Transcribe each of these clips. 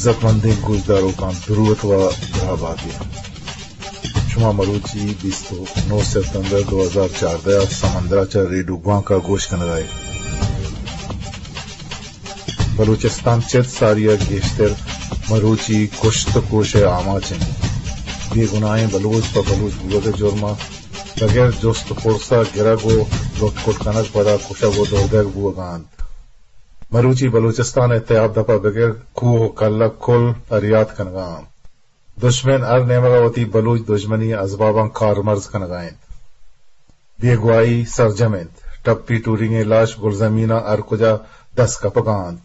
عزت مندیں گوشداروکاں، دروت و دراہ باتیں۔ شما مروچی بیست و نو ستمبر دو ہزار چاردہ ءَ سمندر ءَ چہ ریڈیو گوانک ءَ گوش کنگ ءَ ئے۔ بلوچستان چد ساری ءَ گیشتر مروچی کشت ءُ کوش ءِ آماچ اِنت۔ بے گناہیں بلوچ پہ بلوچ بوگ ءِ جرم ءَ بغیر جست ءُ پرس ءَ گرگ ءُ لٹ کٹ کنگ، پدا کشگ ءُ دور دئیگ بوگ ءَ اَنت۔ مروچی بلوچستان ءِ تیاب دپ ءَ بگر کوہ ءُ کلگ کل پریات کنگ ءَ اَنت۔ دژمن ہر نیمگ ءَ وتی بلوچ دژمنی ءِ ازباباں کارمرز کنگ ءَ اِنت۔ بیگواہی سرجم اِنت۔ ٹپی ٹورینگ ءِ لاش گلزمین ءَ ہر کجا دست کپگ ءَ اَنت۔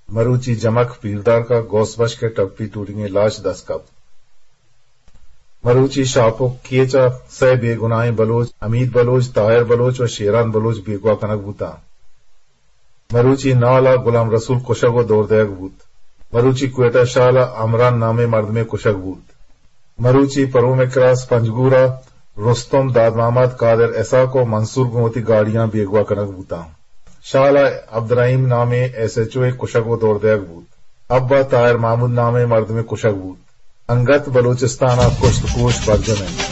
مروچی جمک، پیردارک ءُ گوس بشک ءِ ٹپی ٹورینگ ءِ لاش دست کپت۔ مروچی شاپک کیچ ءَ سئے بے گناہیں بلوچ، حمید بلوچ، طاہر بلوچ ءُ شیران بلوچ بیگواہ کنگ بوتاں۔ مروچی نال ءَ غلام رسول کشگ ءُ دور دئیگ بوت۔ مروچی کوئٹہ شال ءَ عمران نامیں مردمے کشگ بوت۔ مروچی پروم کراس پنجگور ءَ رستم، داد محمد، قادر اسحاق ءُ منصور گوں وتی گاڑیاں بیگواہ کنگ بوتاں۔ شال ءَ عبدالرحیم نامیں ایس ایچ او ءِ کشگ ءُ دور دئیگ بوت۔ حب ءَ طاہر محمود نامیں مردمے کشگ بوت۔ انگت بلوچستان ءَ کشت ءُ کوش برجم اِنت۔